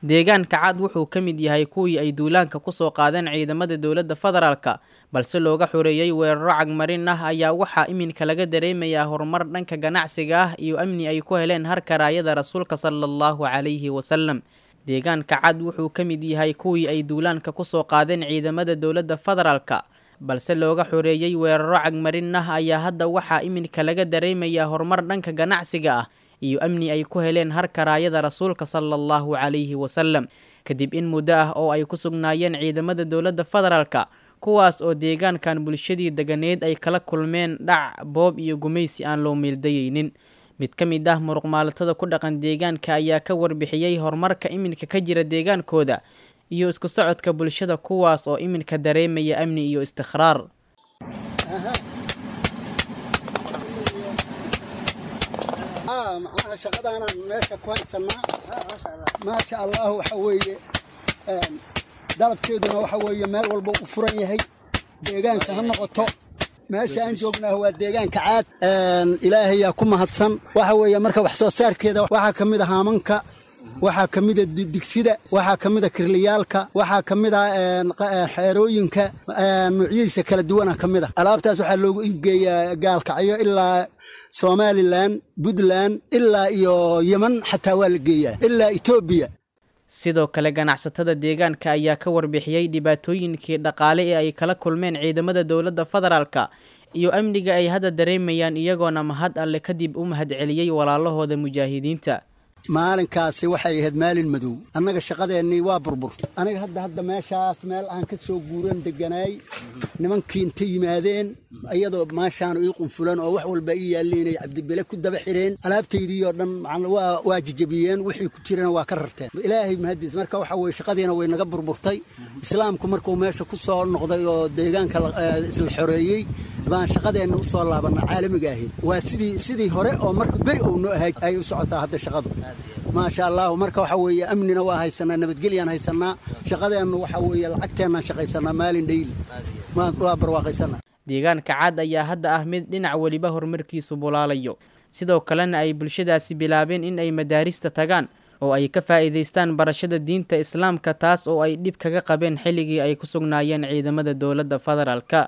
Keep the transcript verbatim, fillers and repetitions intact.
Deegaanka Caad wuxuu ka mid yahay kuwii ay duulaanka ku soo qaadeen ciidamada dowladda federaalka, balse looga xoreeyay weeraro cagmarin ah ayaa waxaa iminka laga dareemayaa horumar dhanka ganacsiga ah iyo amni ay ku heleen harka raayada rasuulka sallallahu calayhi wasallam. Deegaanka Caad wuxuu ka mid yahay kuwii ay duulaanka ku soo qaadeen ciidamada dowladda federaalka, balse looga xoreeyay weeraro cagmarin ah ayaa hadda waxaa iminka laga dareemayaa horumar dhanka ganacsiga ah iyo amni ay ku heleen harka raayada rasuulka sallallahu calayhi wasallam, kadib in muddo ah oo ay ku sugnaayeen ciidamada dowladda federaalka, kuwaas oo deegaankan bulshadii deganeed ay kala kulmeen dhac, boob iyo gumaysi aan loo meeldayeynin. Mid ka mid ah muruqmaalatada ku dhaqan deegaanka ayaa ka warbixiyey horumarka iminka ka jira deegaankooda iyo isku socodka bulshada, kuwaas oo iminka dareemaya amni iyo istiqraar. Macnaha shaqadaanaan meesha ku haysanaa, maasha Allah, waxa weeye dalabkeeduna waxa weeye meel walba u furan yahay, deegaanka ha noqoto. Meesha aan joognaa waa deegaanka Caad, Ilaahayaa ku mahadsan. Waxa weeye marka wax soo saarkeeda waxaa ka mid a haamanka, waxaa ka mid a digsida, waxaa ka mid a kirliyaalka, waxaa ka mid a xeerooyinka noocyadiisa kala duwana ka mid a. Alaabtaas waxaa loogu iibgeeyaa Gaalkacyo ilaa Somalilan, Puntland, ilaa iyo Yeman, xataa waa la geeyaa ilaa Etoobiya. Sidoo kale ganacsatada deegaanka ayaa ka warbixiyey dhibaatooyinkii dhaqaale ee ay kala kulmeen ciidamada dowladda federaalka iyo amniga ay hadda dareemayaan, iyagoona mahad alle kadib u mahadceliyey walaalahooda mujaahidiinta. Maalinkaasi waxay ahayd maalin madow, annaga shaqadeennii waa burburtay. Aniga hadda hadda meeshaas meel aan ka soo guuran deganaay, nimankii inta yimaadeen iyadoo maashaanu ii qunfulan oo wax walba ii yaalliinay Cabdibile ku daba xireen alaabtaydii oo dhan, waa waa jejebiyeen, wixii ku jirana waa ka rarteen. Ilaahay mahadiis. Marka waxa weye shaqadiina way naga burburtay. Islaamku markuu meesha ku soo noqday oo deegaanka isla xoreeyey baan shaqadeenna u soo laabanna caalamiga ahayd. Waa sidii sidii hore oo marka beri uu noo ahay ay u socotaa hadda shaqadu, maasha Allahu. Marka waxa weeye amnina waa haysanaa, nabadgelyaan haysanaa, shaqadeennu waxa weeye lacagteennaan shaqaysanaa maalin dhayli, waa barwaaqaysanaa. Deegaanka Caad ayaa hadda ah mid dhinac weliba horumarkiisu bulaalayo, sidoo kalena ay bulshadaasi bilaabeen in ay madaarista tagaan oo ay ka faa'iidaystaan barashada diinta islaamka, taas oo ay dhib kaga qabeen xilligii ay ku sugnaayeen ciidamada dowladda federaalka.